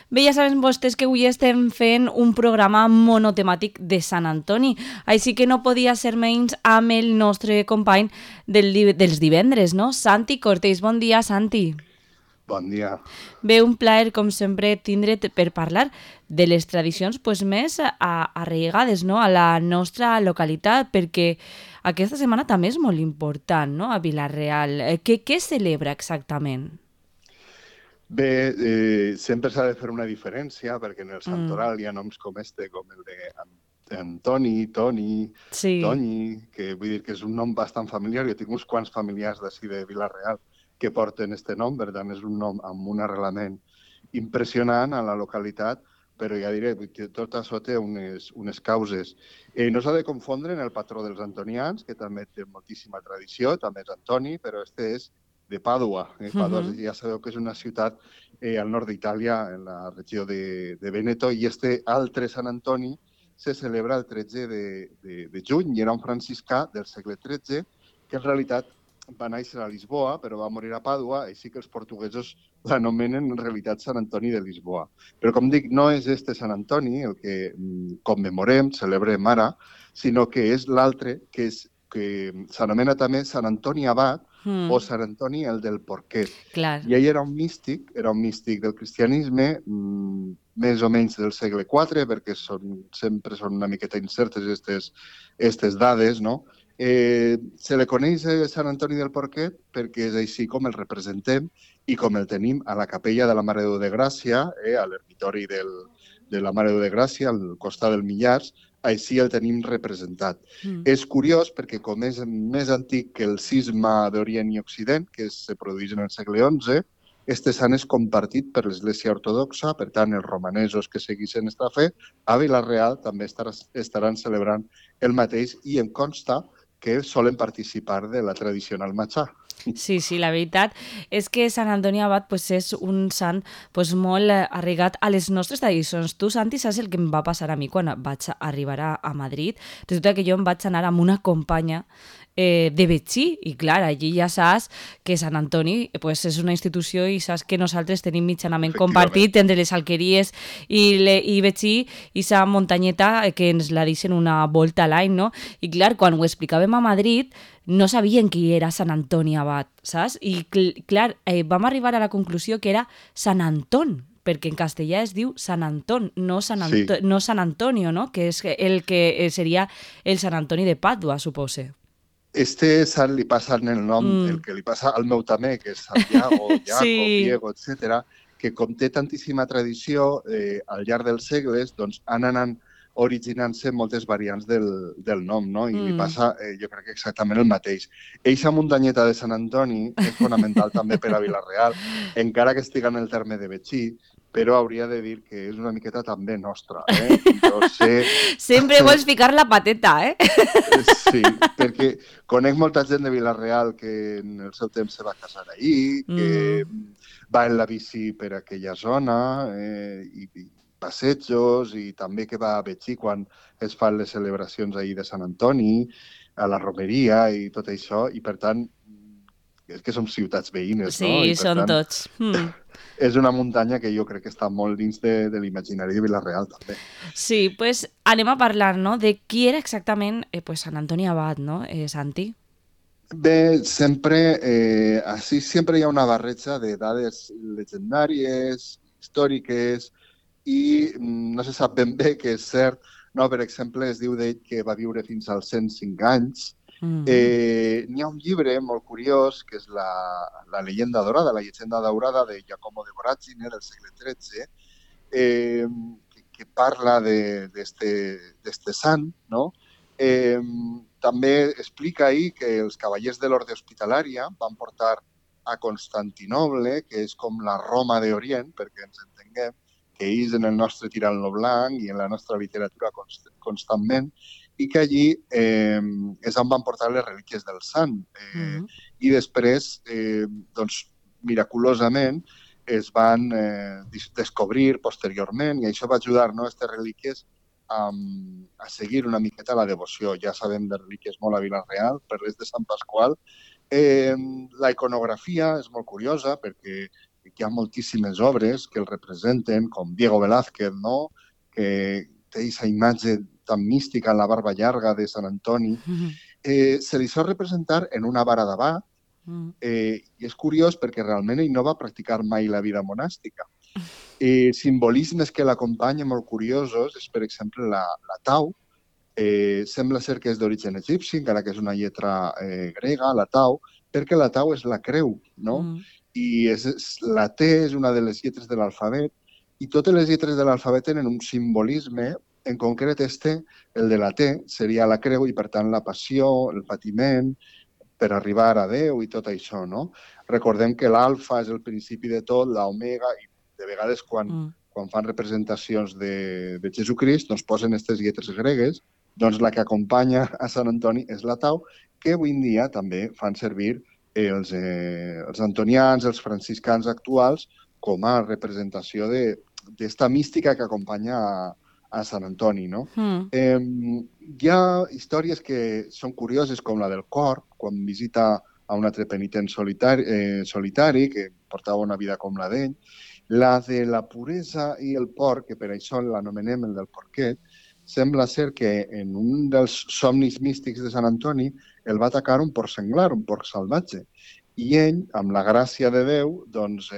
Bé, ja saben vostès que avui estem fent un programa monotemàtic de Sant Antoni, així que no podia ser menys amb el nostre company dels divendres, no? Santi Cortés, bon dia, Santi. Bon dia. Bé, un plaer, com sempre, tindre't per parlar de les tradicions més arraigades, no?, a la nostra localitat, perquè aquesta setmana també és molt important, no?, a Vila-real. Què celebra exactament? Bé, sempre s'ha de fer una diferència, perquè en el Mm, santoral hi ha noms com com el de Antoni, Toni, sí. Toni, que vull dir que és un nom bastant familiar. Jo tinc uns quants familiars d'ací de Vila-real que porten este nom, per tant és un nom amb un arrelament impressionant a la localitat, però ja diré que tot això té unes causes. No s'ha de confondre en el patró dels antonians, que també té moltíssima tradició, també és Antoni, però este és de Pàdua. Pàdua Mhm. ja sabeu que és una ciutat al nord d'Itàlia, en la regió de Veneto, i este altre Sant Antoni se celebra el 13 de juny i era un franciscà del segle XIII que en realitat va néixer a Lisboa, però va morir a Pàdua, així que els portuguesos l'anomenen en realitat Sant Antoni de Lisboa. Però, com dic, no és este Sant Antoni el que commemorem, celebrem ara, sinó que és l'altre, que s'anomena també Sant Antoni Abat, o Mm, Sant Antoni el del Porquet. clar. I ell era un místic del cristianisme, més o menys del segle IV, perquè sempre són una miqueta incertes aquestes dades, no? Se li coneix Sant Antoni del Porquet perquè és així com el representem i com el tenim a la capella de la Mare de Déu de Gràcia, a l'ermitori de la Mare de Déu de Gràcia, al costat del Millars, així el tenim representat. Mm. És curiós perquè com és més antic que el cisma d'Orient i Occident, que se produeix en el segle XI, este sant és compartit per l'Església Ortodoxa, per tant, els romanesos que seguissin esta fe, a Vila-real també estaran celebrant el mateix i em consta que solen participar de la tradicional matxà. Sí, sí, la veritat és que Sant Antoni Abat és un sant molt arraigat a les nostres tradicions. Tu, Santi, saps el que em va passar a mi quan vaig arribar a Madrid? Resulta que jo em vaig anar amb una companya de Betxí, i clar, allí ja saps que Sant Antoni és una institució i saps que nosaltres tenim mitjanament Efectivament. compartit entre les alqueries i Betxí i sa muntanyeta que ens la deixen una volta a l'any, no? I clar, quan ho explicàvem a Madrid no sabien qui era Sant Antoni Abat, saps? I clar, vam arribar a la conclusió que era Sant Anton, perquè en castellà es diu Sant Anton, Sí. no Sant Antonio, no? Que és el que seria el Sant Antoni de Pàdua, supose. Sant li passa en el nom, el Mm. que li passa al meu també, que és Santiago, Jacob, Sí, Diego, etc., que com té tantíssima tradició al llarg dels segles, doncs han anat originant-se moltes variants del nom, no? I li mm. passa, jo crec que exactament el mateix. Eixa muntanyeta de Sant Antoni és fonamental també per a Vila-real, encara que estiga en el terme de Betxí, però hauria de dir que és una miqueta també nostra. Jo sé Sempre vols ficar la pateta, eh? Sí, perquè conec molta gent de Vila-real que en el seu temps se va casar ahir, que Mm. va en la bici per aquella zona, i passejos, i també que va a Betxí quan es fan les celebracions ahir de Sant Antoni, a la romeria i tot això, i per tant, és que som ciutats veïnes, no? I Sí, per són tant, tots. Mm. és una muntanya que jo crec que està molt dins de l'imaginari de Vila-real, també. Sí, anem a parlar, no?, de qui era exactament Sant Antoni Abat, no, Santi? Bé, així sempre hi ha una barreja de dades legendàries, històriques, i no se sap ben bé què és cert. No, per exemple, es diu d'ell que va viure fins als 105 anys. Mm. N'hi ha un llibre molt curiós, que és la llegenda dorada, la llegenda daurada de Giacomo de Voragine, del segle XIII, que parla d'este sant, no? Eh, També explica ahir que els cavallers de l'Orde Hospitalària van portar a Constantinoble, que és com la Roma d'Orient, perquè ens entenguem, que ells en el nostre tirant-lo blanc i en la nostra literatura constantment, i que allí és on van portar les relíquies del sant. Mm. I després, doncs, miraculosament, es van descobrir posteriorment, i això va ajudar, no, aquestes relíquies a seguir una miqueta la devoció. Ja sabem de relíquies molt a Vila-real, per les de Sant Pasqual. La iconografia és molt curiosa perquè hi ha moltíssimes obres que el representen, com Diego Velázquez, no? Que té aquesta imatge tan mística en la barba llarga de Sant Antoni. Se li sol representar en una vara d'abat, i és curiós perquè realment ell no va practicar mai la vida monàstica. Simbolismes que l'acompanyen molt curiosos és, per exemple, la tau. Sembla ser que és d'origen egipci, encara que és una lletra grega, la tau, perquè la tau és la creu, no? I la T és una de les lletres de l'alfabet, i totes les lletres de l'alfabet tenen un simbolisme, en concret el de la T seria la creu i, per tant, la passió, el patiment, per arribar a Déu i tot això, no? Recordem que l'alfa és el principi de tot, l'omega, i de vegades quan fan representacions de Jesucrist, doncs posen aquestes lletres gregues, doncs la que acompanya a Sant Antoni és la tau, que avui en dia també fan servir els antonians, els franciscans actuals, com a representació d'esta mística que acompanya a Sant Antoni, no? Hi ha històries que són curioses, com la del cor, quan visita a un altre penitent solitari que portava una vida com la d'ell. La de la puresa i el porc, que per això l'anomenem el del porquet, sembla ser que en un dels somnis místics de Sant Antoni el va atacar un porc senglar, un porc salvatge. I ell, amb la gràcia de Déu, doncs,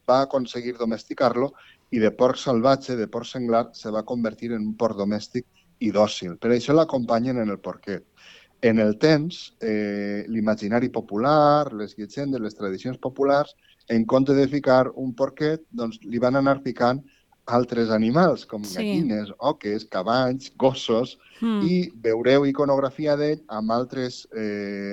va aconseguir domesticar-lo i de porc salvatge, de porc senglar, se va convertir en un porc domèstic i dòcil. Per això l'acompanyen en el porquet. En el temps, l'imaginari popular, les llegendes, les tradicions populars, en compte de ficar un porquet, doncs li van anar ficant altres animals, com gallines, oques, cavalls, gossos, i veureu iconografia d'ell amb altres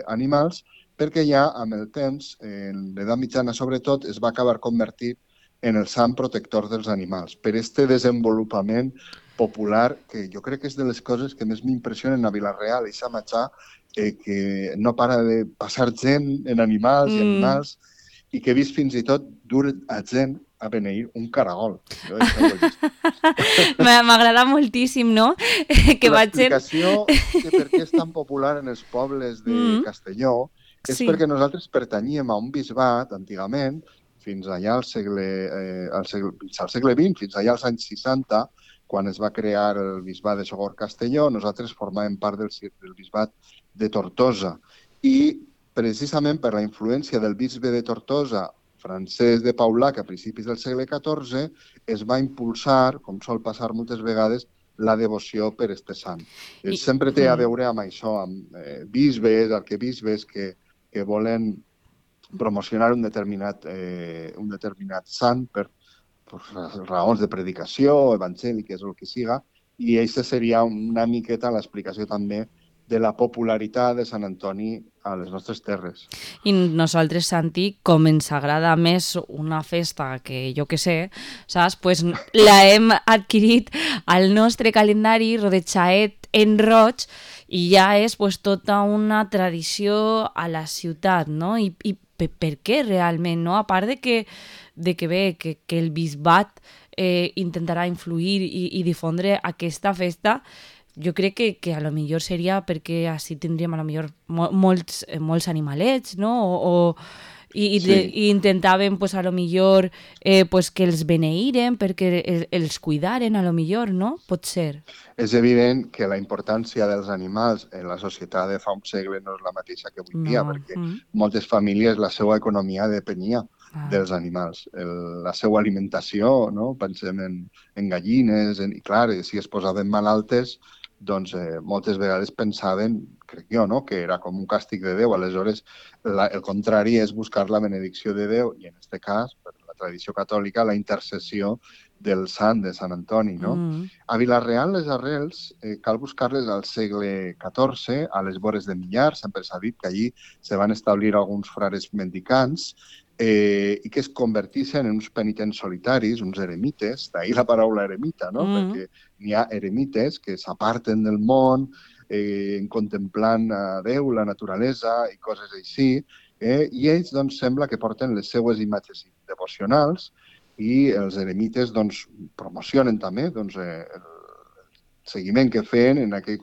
animals, perquè ja amb el temps, en l'edat mitjana sobretot, es va acabar convertint en el sant protector dels animals. Per este desenvolupament popular, que jo crec que és de les coses que més m'impressionen a Vila-real, i Samatxà, que no para de passar gent en animals i animals, i que he vist fins i tot dur a gent a beneir un caragol. M'agrada moltíssim, no? L'explicació de per què és tan popular en els pobles de Castelló és perquè nosaltres pertanyíem a un bisbat, antigament, fins allà al segle XX, fins allà als anys 60, quan es va crear el bisbat de Sogorb-Castelló, nosaltres formàvem part del bisbat de Tortosa. I precisament per la influència del bisbe de Tortosa, Francesc de Paula, que a principis del segle XIV es va impulsar, com sol passar moltes vegades, la devoció per este sant. Sempre té a veure amb això, amb bisbes, arquebisbes que volen promocionar un determinat sant per raons de predicació, evangèliques o el que siga, i aquesta seria una miqueta l'explicació també de la popularitat de Sant Antoni a les nostres terres. I nosaltres, Santi, com ens agrada més una festa que jo que sé, saps? Pues la hem adquirit al nostre calendari rodejat en roig i ja és pues, tota una tradició a la ciutat, no? I per què realment, no? A part de que el bisbat intentarà influir i difondre aquesta festa, jo crec que a lo millor seria perquè així tindríem a lo millor molts animalets, no? I intentaven pues, a lo millor pues, que els beneïren perquè els cuidaren a lo millor, no? Pot ser. És evident que la importància dels animals en la societat de fa un segle no és la mateixa que avui dia, perquè moltes famílies la seva economia depenia dels animals. La seva alimentació, no? Pensem en gallines, i clar, si es posaven malaltes, doncs moltes vegades pensaven, crec jo, no? Que era com un càstig de Déu. Aleshores, el contrari és buscar la benedicció de Déu i, en aquest cas, per la tradició catòlica, la intercessió del sant de Sant Antoni. No? A Vila-real, les arrels cal buscar-les al segle XIV, a les vores de Millar. Sempre s'ha dit que allí se van establir alguns frares mendicants i que es convertissin en uns penitents solitaris, uns eremites, d'ahir la paraula eremita, no? Perquè n'hi ha eremites que s'aparten del món, contemplant a Déu, la naturalesa i coses així, i ells doncs, sembla que porten les seues imatges devocionals i els eremites doncs, promocionen també doncs, el seguiment que feien, en aquell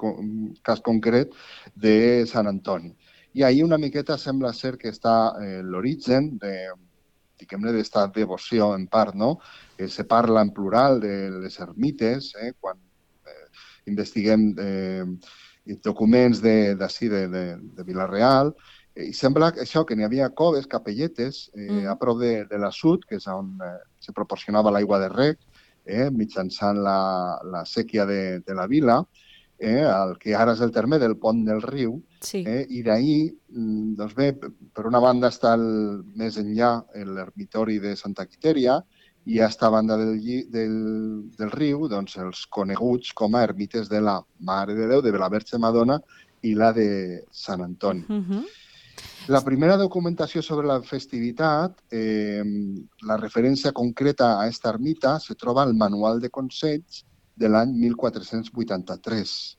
cas concret, de Sant Antoni. I ahir una miqueta sembla ser que està l'origen diguem-ne, d'esta devoció en part, no? Se parla en plural de les ermites, quan investiguem documents d'ací, de Vila-real, i sembla que això, que n'hi havia coves, capelletes, a prop de l'assut, que és on se proporcionava l'aigua de rec, mitjançant la sèquia de la vila, el que ara és el terme del Pont del Riu, Sí. i d'ahir, doncs bé, per una banda està més enllà l'ermitori de Santa Quitèria, i a esta banda del riu, doncs, els coneguts com a ermites de la Mare de Déu, de la Verge Madonna i la de Sant Antoni. La primera documentació sobre la festivitat, la referència concreta a aquesta ermita, se troba al Manual de Consells de l'any 1483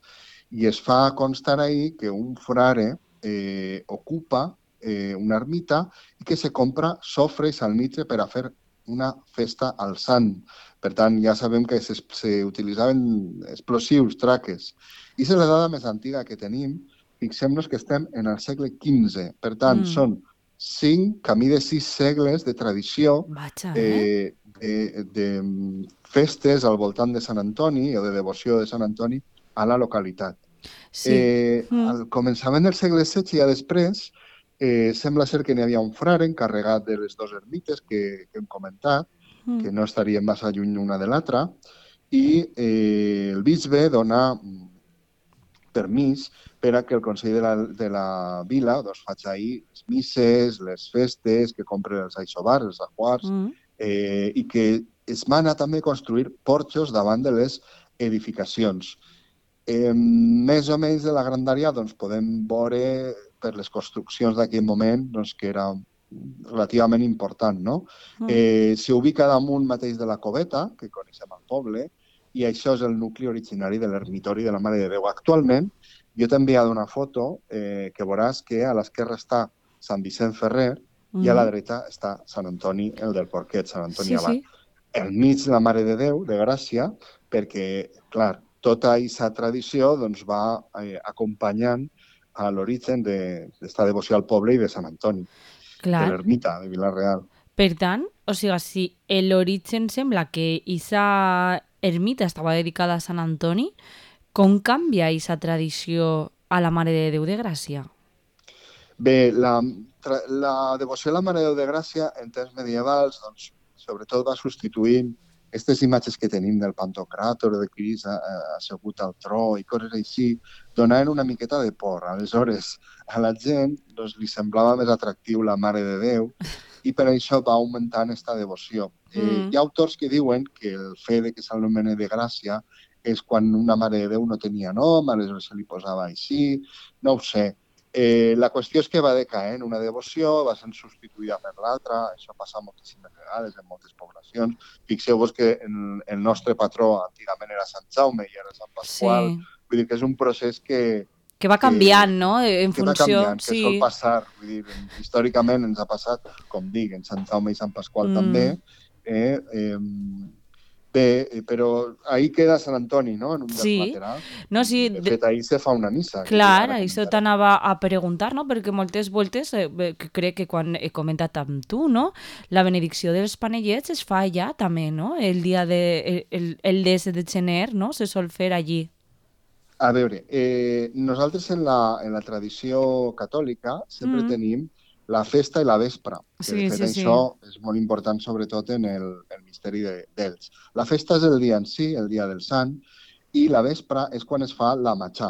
i es fa constar ahí que un frare ocupa una ermita i que se compra sofre i salnitre per a fer una festa al sant. Per tant, ja sabem que s'utilitzaven explosius, traques. I és la dada més antiga que tenim. Fixem-nos que estem en el segle XV. Per tant, són camí de 6 segles de tradició de festes al voltant de Sant Antoni o de devoció de Sant Antoni a la localitat. Sí. Al començament del segle XVI i ja després, sembla ser que n'hi havia un frare encarregat de les dues ermites que hem comentat, que no estarien massa lluny una de l'altra, i el bisbe dona permís per a que el Consell de la Vila doncs, faci ahir les misses, les festes, que compri els aixovars, els ajuars, i que es mana també construir porxos davant de les edificacions. Més o menys de la grandària doncs, podem veure per les construccions d'aquell moment doncs, que era relativament important. No? S'ubica damunt mateix de la Coveta, que coneixem al poble, i això és el nucli originari de l'ermitori de la Mare de Déu. Actualment, jo t'he enviat una foto que veuràs que a l'esquerra està Sant Vicent Ferrer i a la dreta està Sant Antoni, el del Porquet, Sant Antoni Abat. Al mig la Mare de Déu, de Gràcia, perquè, clar, tota aquesta tradició doncs, va acompanyant a l'origen d'esta devoció al poble i de Sant Antoni, de l'ermita de Vila-real. Per tant, o sigui, si l'origen sembla que aquesta ermita estava dedicada a Sant Antoni, com canvia aquesta tradició a la Mare de Déu de Gràcia? Bé, la devoció a la Mare de Déu de Gràcia en temps medievals, doncs, sobretot va substituint aquestes imatges que tenim del Pantocràtor, de Crist assegut al tro i coses així, donaven una miqueta de por. Aleshores, a la gent doncs, li semblava més atractiu la Mare de Déu i per això va augmentant aquesta devoció. Hi ha autors que diuen que el fet de que s'anomeni de Gràcia és quan una Mare de Déu no tenia nom, aleshores se li posava així, no ho sé. La qüestió és que va decaent una devoció, va sent substituïda per l'altra, això passa moltíssimes vegades en moltes poblacions. Fixeu-vos que el nostre patró antigament era Sant Jaume i ara Sant Pasqual. Vull dir que és un procés que va canviant, no? En funció... Va canviant, que sol passar. Vull dir, històricament ens ha passat, com dic, en Sant Jaume i Sant Pasqual també. Bé, però ahí queda Sant Antoni, no?, en un dels laterals. No, sí. De fet, ahí se fa una missa. Clar, això t'anava a preguntar, no?, perquè moltes voltes, crec que quan he comentat amb tu, no?, la benedicció dels panellets es fa allà també, no?, el dia el 10 de gener, no?, se sol fer allí. A veure, nosaltres en la tradició catòlica sempre tenim la festa i la vespra. Que de fet això és molt important, sobretot en el misteri d'ells. La festa és el dia en si, el dia del sant, i la vespra és quan es fa la matxà,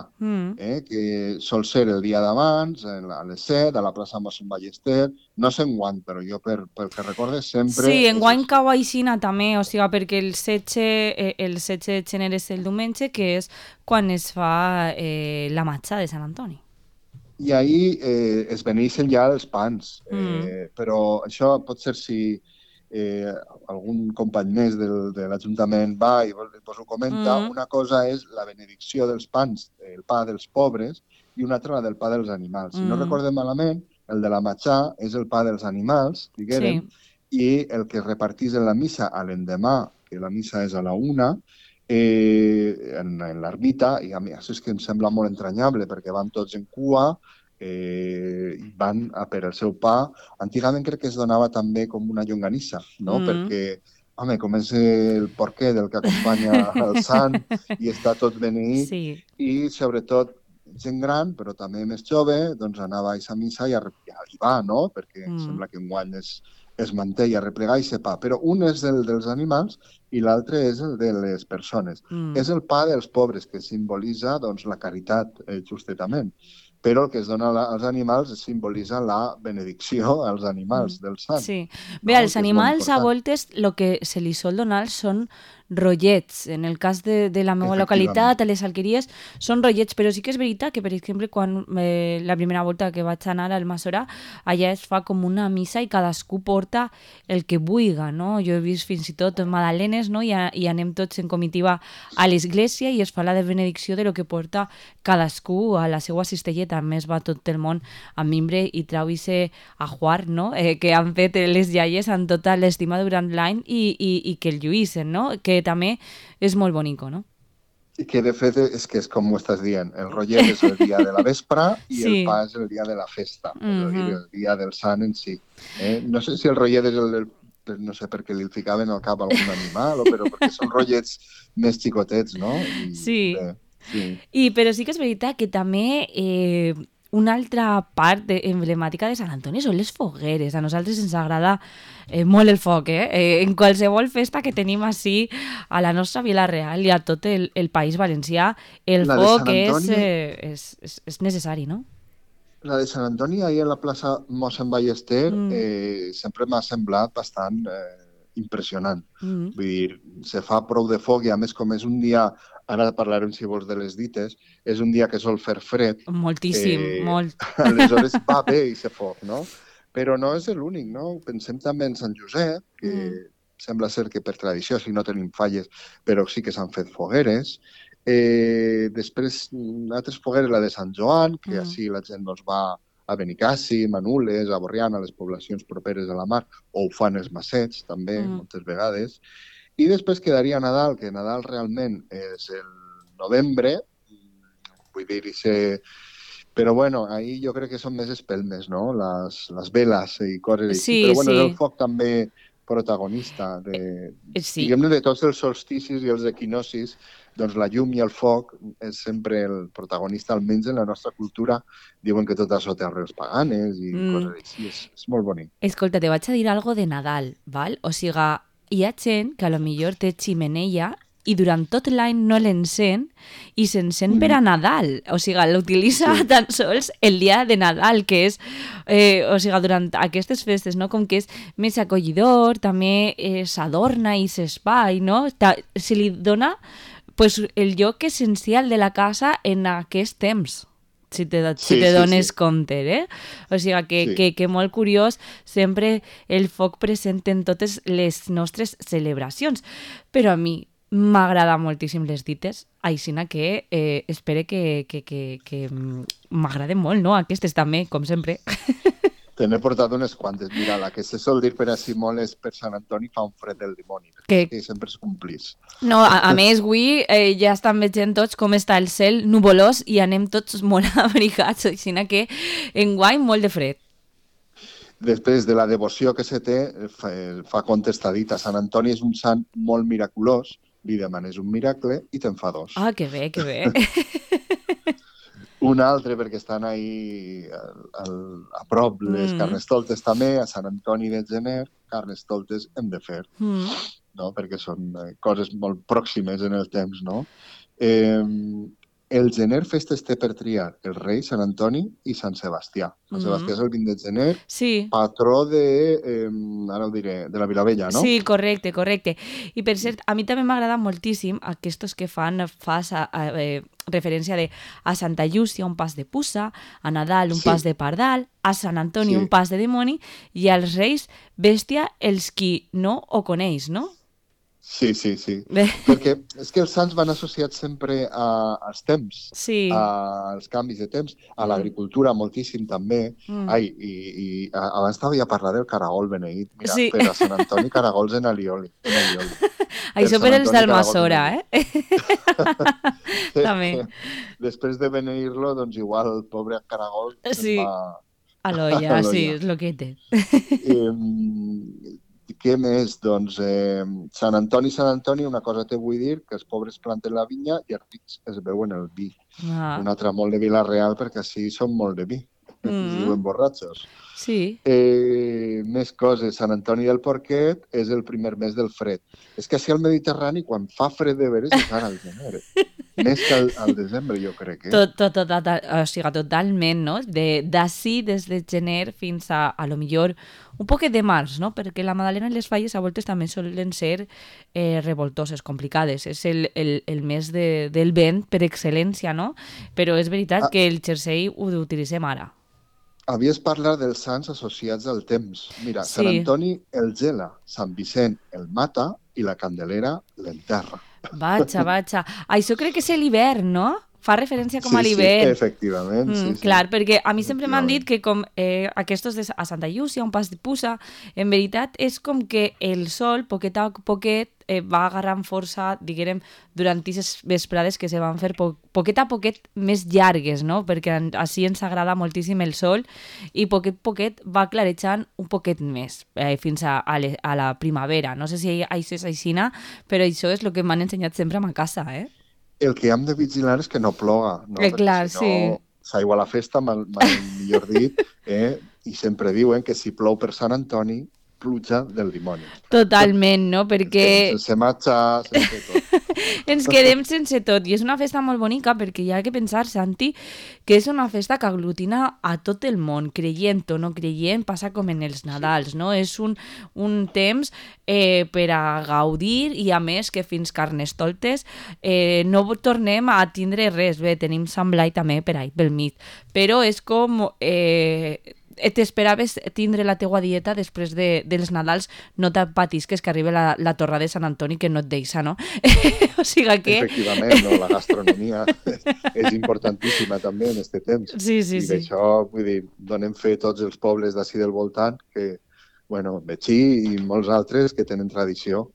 que sol ser el dia d'abans, a les 7, a la plaça Mossèn Ballester. No sé enguany, però jo pel que recorde sempre... Sí, enguany cau aixina també, o sigui, perquè el 16 de gener és el diumenge, que és quan es fa la matxà de Sant Antoni. I ahir es beneixen ja els pans, però això pot ser si algun company més de l'Ajuntament va i vos ho comenta. Una cosa és la benedicció dels pans, el pa dels pobres, i una altra la del pa dels animals. Si no recordem malament, el de la matxà és el pa dels animals, diguem, i el que es repartís en la missa a l'endemà, que la missa és a la 1, en l'ermita, i a mi això és que em sembla molt entranyable, perquè van tots en cua, van a per el seu pa. Antigament crec que es donava també com una llonganissa, no? Perquè, home, com és el porquer del que acompanya el sant i està tot beneït, Sí. i sobretot gent gran, però també més jove, doncs anava a aquesta missa i hi va, no? Perquè sembla que enguany es manté i a replegar i pa. Però un és el dels animals i l'altre és el de les persones. És el pa dels pobres, que simbolitza doncs, la caritat, justament. Però el que es dona als animals simbolitza la benedicció als animals del sant. Sí. No? Bé, als Que és molt animals a important. voltes el que se li sol donar són rotllets. En el cas de la meva Efectivament. localitat, a les alqueries, són rotllets, però sí que és veritat que, per exemple, quan la primera volta que vaig anar al Massora, allà es fa com una missa i cadascú porta el que vulga, no? Jo he vist fins i tot magdalenes, no? I anem tots en comitiva a l'església i es fa la benedicció de lo que porta cadascú a la seva cistelleta. A més, va tot el món amb mimbre i trau ese ajuar, no? Que han fet les iaies amb tota l'estima durant l'any i que el lluïssen, no? Que també és molt bonico, no? I que de fet és que és com ho estàs dient, el rotllet és el dia de la vespra i Sí. el pa és el dia de la festa, és a dir, el dia del sant en si. No sé si el rotllet és no sé per què li ficaven al cap algun animal, però perquè són rotllets més xicotets, no? Sí. Bé, sí. Però sí que és veritat que també una altra part emblemàtica de Sant Antoni són les fogueres. A nosaltres ens agrada molt el foc, en qualsevol festa que tenim així a la nostra Vila Real i a tot el País Valencià, el La de foc Sant Antoni- és necessari, no? La de Sant Antoni, ahir a la plaça Mossèn Ballester, sempre m'ha semblat bastant impressionant. Vull dir, se fa prou de foc i a més com és un dia, ara parlarem si vols de les dites, és un dia que sol fer fred. Moltíssim, molt. Aleshores va bé aquest foc, no? Però no és l'únic, no? Pensem també en Sant Josep, que sembla ser que per tradició, si no tenim falles, però sí que s'han fet fogueres. Després, altres fogueres, la de Sant Joan, que així la gent doncs, va a Benicàssim, a Nules, a Borriana, a les poblacions properes a la mar, o ho fan els massets, també, moltes vegades. I després quedaria Nadal, que Nadal realment és el novembre, vull dir, però bueno, ahí jo crec que són més espelmes, no? Les veles i coses així. Sí, Però bueno, sí. és el foc també protagonista Sí. diguem-ne, de tots els solsticis i els equinocis, doncs la llum i el foc és sempre el protagonista, almenys en la nostra cultura. Diuen que tot això té arrels paganes i coses així. És molt bonic. Escolta, te vaig a dir algo de Nadal, val? O sigui, hi ha gent que a lo millor té ximeneia i durant tot l'any no l'encén i s'encén per a Nadal. O sigui, l'utilitza tan sols el dia de Nadal, que és, o sigui, durant aquestes festes, no? Com que és més acollidor, també s'adorna i s'espai, no? Se li dona pues, el lloc essencial de la casa en aquest temps. Si te dones compte, O sigui, que molt curiós, sempre el foc present en totes les nostres celebracions. Però a mi m'agrada moltíssim les dites, aixina que espero que m'agraden molt, no? Aquestes també, com sempre. Te n'he portat unes quantes. Mira, la que se sol dir per així molt és per Sant Antoni fa un fred del dimoni, que sempre es complís. No, a més, avui ja estan veient tots com està el cel nuvolós i anem tots molt abrigats, aixina que enguany molt de fred. Després de la devoció que se té, fa contestadita. Sant Antoni és un sant molt miraculós, li demanes un miracle i te'n fa dos. Ah, que bé, que bé. Un altre, perquè estan ahí a prop les carnestoltes també, a Sant Antoni de Gener, carnestoltes hem de fer, no? Perquè són coses molt pròximes en el temps, no? El gener festes té per triar el rei, Sant Antoni i Sant Sebastià. Sant Sebastià és el 20 de gener, patró de, ara ho diré, de la Vilavella, no? Sí, correcte. I per cert, a mi també m'agrada moltíssim aquests que fan referència a Santa Llúcia un pas de puça, a Nadal un pas de pardal, a Sant Antoni un pas de dimoni i als Reis bèstia els qui no ho coneix, no? Sí. Perquè és que els sants van associats sempre als temps, Sí. als canvis de temps, a l'agricultura moltíssim també. Mm. Ai, abans t'havia parlat del caragol beneït. Mira, Sí. per a Sant Antoni caragols en alioli, en allioli. Per Això Sant per els Antoni caragols en d'Almassora, allioli. eh? També. Després de beneir-lo, doncs igual el pobre caragol se'n va Sí. A a l'olla, sí, l'olla. és lo que té. Què més? Doncs Sant Antoni, una cosa te vull dir, que els pobres planten la vinya i els rics es beuen el vi. Ah. Un altre molt de Vila-real, perquè així són molt de vi. Es Mm. diuen borratxos. Sí. Més coses. Sant Antoni del Porquet és el primer mes del fred. És que així al Mediterrani, quan fa fred de veres, és ara al gener. Més que al desembre, jo crec. O sigui, totalment, no? D'ací, des de gener fins a lo millor un poquet de març, no? Perquè la Madalena i les Falles a voltes també solen ser revoltoses, complicades. És el mes del vent per excel·lència, no? Però és veritat Ah, que el jersei ho utilitzem ara. havies parlat dels sants associats al temps. Mira, Sant Sí. Antoni el gela, Sant Vicent el mata i la Candelera l'enterra. Vaja. Això crec que és l'hivern, no? Fa referència com a Sí, l'hivern. efectivament, sí, Clar, perquè a mi sempre m'han dit efectivament. que com aquests a Santa Llúcia, un pas de puça, en veritat és com que el sol, poquet a poquet, va agarrant força, diguem, durant aquestes vesprades que se van fer poquet a poquet més llargues, no? Perquè així ens agrada moltíssim el sol i poquet a poquet va clarejant un poquet més fins a la primavera. No sé si això és aixina, però això és el que m'han ensenyat sempre a ma casa, eh? El que hem de vigilar és que no ploga, no? Perquè Clar, si no sí. s'aigua la festa, mai millor dit, i sempre diuen que si plou per Sant Antoni, pluja del dimoni. Totalment, no? Ens quedem Perquè sense matxa, sense tot. ens quedem sense tot. I és una festa molt bonica perquè hi ha que pensar, Santi, que és una festa que aglutina a tot el món, creient o no creient, passa com en els Nadals, no? És un temps per a gaudir i a més que fins Carnestoltes no tornem a tindre res. Bé, tenim Sant Blai també per ahí pel mig, però és com... t'esperaves tindre la teua dieta després dels Nadals, no patisques que arriba la torra de Sant Antoni que no et deixa, no? O sigui que... Efectivament, no? La gastronomia és importantíssima també en aquest temps. Sí. I d'això, vull dir, donem fe tots els pobles d'ací del voltant, que, bueno, Betxí i molts altres que tenen tradició.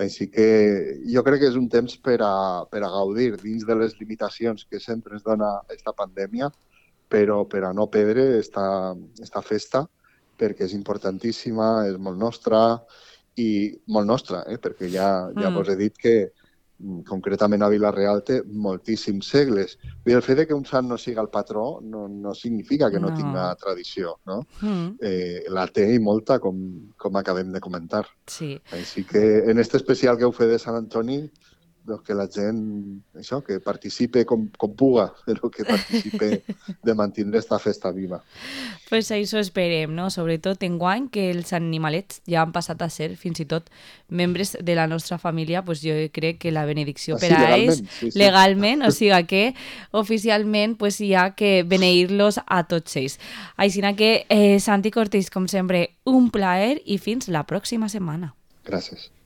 Així que jo crec que és un temps per a gaudir dins de les limitacions que sempre ens dona aquesta pandèmia, però per a no perdre esta festa, perquè és importantíssima, és molt nostra, perquè ja vos he dit que concretament a Vila-real té moltíssims segles. I el fet de que un sant no siga el patró no significa que no tinga No. tradició, no? La té i molta, com acabem de comentar. Sí. Així que en este especial que heu fet de Sant Antoni, doncs que la gent, això, que participe com puga, però que participe de mantenir esta festa viva. Pues això esperem, no? Sobretot enguany que els animalets ja han passat a ser fins i tot membres de la nostra família, pues jo crec que la benedicció per a ells, Sí. legalment, o sigui que oficialment pues hi ha que beneir-los a tots ells. Així que, Santi Cortés, com sempre, un plaer i fins la pròxima setmana. Gràcies.